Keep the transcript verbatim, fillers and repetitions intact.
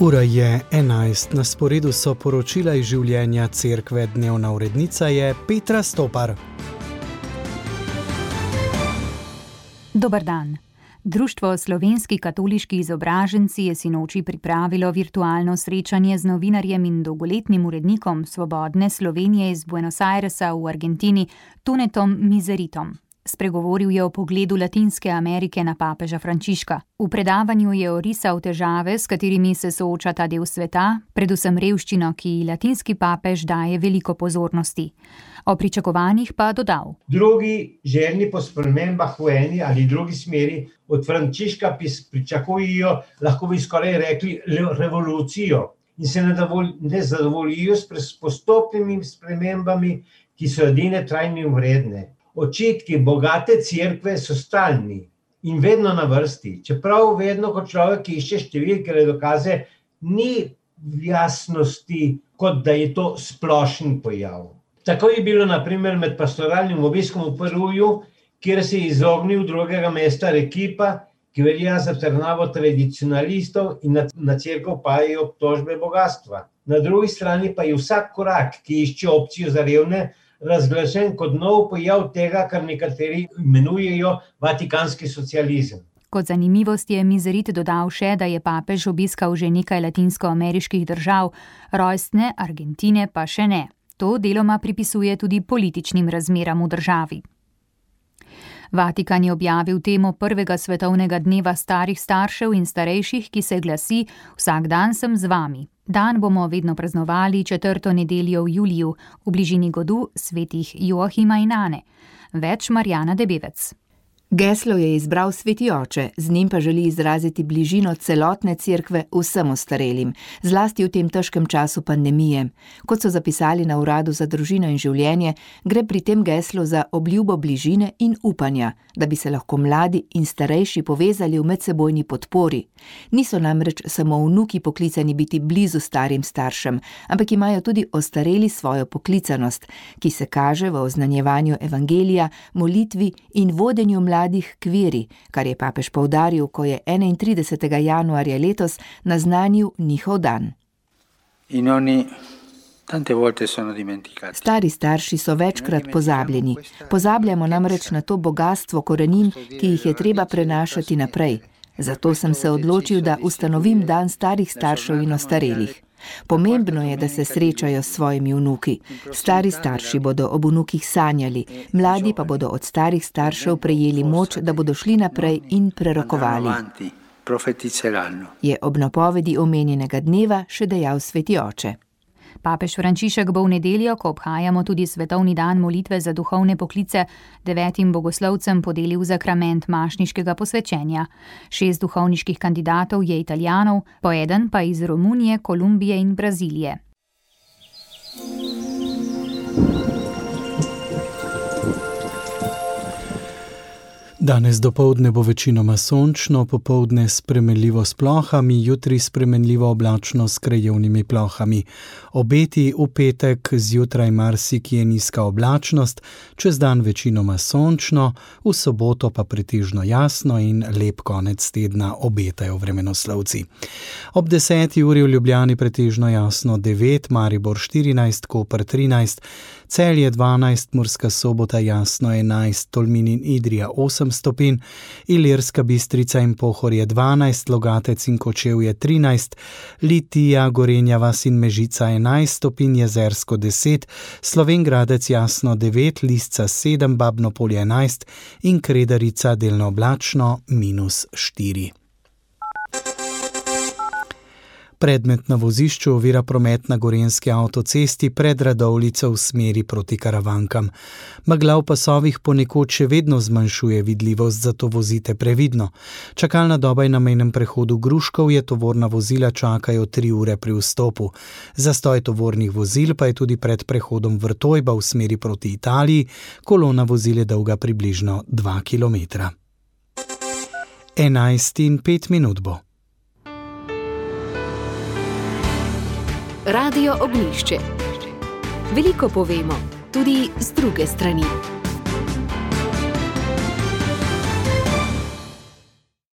Ura je enajst, na sporedu so poročila iz življenja cerkve, dnevna urednica je Petra Stopar. Dober dan. Društvo Slovenski katoliški izobraženci je sinoči pripravilo virtualno srečanje z novinarjem in dolgoletnim urednikom Svobodne Slovenije iz Buenos Airesa v Argentini, Tunetom Mizeritom. Spregovoril je o pogledu Latinske Amerike na papeža Frančiška. V predavanju je orisal težave, s katerimi se sooča ta del sveta, predvsem revščino, ki latinski papež daje veliko pozornosti. O pričakovanjih pa dodal. Drugi, željni po spremembah v eni ali drugi smeri, od Frančiška pričakujejo, lahko bi skoraj rekli, revolucijo in se ne zadovoljijo s postopnimi spremembami, ki so edine trajne in vredne. Očitki bogate cerkve so stalni in vedno na vrsti, čeprav vedno, ko človek išče številke ali dokaze, ni jasnosti, kot da je to splošen pojav. Tako je bilo na primer med pastoralnim obiskom v Peruju, kjer se je izognil drugega mesta Arequipa, ki velja za trdnavo tradicionalistov in na, na cerkev pajajo obtožbe bogatstva. Na drugi strani pa je vsak korak, ki išče opcijo za revne, razglašen kot nov pojav tega, kar nekateri imenujejo vatikanski socializem. Kot zanimivost je Mizerit dodal še, da je papež obiskal že nekaj latinskoameriških držav, rojstne Argentine pa še ne. To deloma pripisuje tudi političnim razmeram v državi. Vatikan je objavil temo prvega svetovnega dneva starih staršev in starejših, ki se glasi Vsak dan sem z vami. Dan bomo vedno praznovali četrto nedeljo v juliju, v bližini godu svetih Joachima in Ane. Več Marjana Debevec. Geslo je izbral sveti oče, z njim pa želi izraziti bližino celotne cerkve vsem ostarelim, zlasti v tem težkem času pandemije. Kot so zapisali na Uradu za družino in življenje, gre pri tem geslu za obljubo bližine in upanja, da bi se lahko mladi in starejši povezali v medsebojni podpori. Niso namreč samo vnuki poklicani biti blizu starim staršem, ampak imajo tudi ostareli svojo poklicanost, ki se kaže v oznanjevanju evangelija, molitvi in vodenju mladih k veri, kar je papež poudaril, ko je enaintridesetega januarja letos naznanil njihov dan. Stari starši so večkrat pozabljeni. Pozabljamo namreč na to bogastvo korenin, ki jih je treba prenašati naprej. Zato sem se odločil, da ustanovim dan starih staršev in ostarelih. Pomembno je, da se srečajo s svojimi vnuki. Stari starši bodo ob vnukih sanjali, mladi pa bodo od starih staršev prejeli moč, da bodo šli naprej in prerokovali. Je ob napovedi omenjenega dneva še dejal sveti oče. Papež Frančišek bo v nedeljo, ko obhajamo tudi svetovni dan molitve za duhovne poklice, devetim bogoslovcem podelil zakrament mašniškega posvečenja. Šest duhovniških kandidatov je Italijanov, po eden pa iz Romunije, Kolumbije in Brazilije. Danes dopoldne bo večinoma sončno, popoldne spremenljivo s plohami, jutri spremenljivo oblačno s krajevnimi plohami. Obeti v petek zjutraj marsikje nizka oblačnost, čez dan večinoma sončno, v soboto pa pretežno jasno in lep konec tedna obetajo vremenoslovci. Ob deseti uri v Ljubljani pretežno jasno devet, Maribor štirinajst, Koper trinajst, Celje dvanajst, Murska Sobota jasno enajst, Tolmin in Idrija osem stopinj, Ilirska Bistrica in Pohorje dvanajst, Logatec in Kočevje trinajst, Litija, Gorenja vas in Mežica enajst stopinj, Jezersko deset, Slovenj Gradec jasno devet, Lisca sedem, Babno Polje enajst in Kredarica delno oblačno minus štiri. Predmet na vozišču ovira promet na Gorenjski avtocesti pred Radovljico v smeri proti Karavankam. Megla v pasovih ponekod še vedno zmanjšuje vidljivost, zato vozite previdno. Čakalna doba je na mejnem prehodu Gruškov, je tovorna vozila čakajo tri ure pri vstopu. Zastoj tovornih vozil pa je tudi pred prehodom Vrtojba v smeri proti Italiji, kolona vozil je dolga približno dva kilometra. enajst in pet minut bo. Radio Ognjišče. Veliko povemo, tudi z druge strani.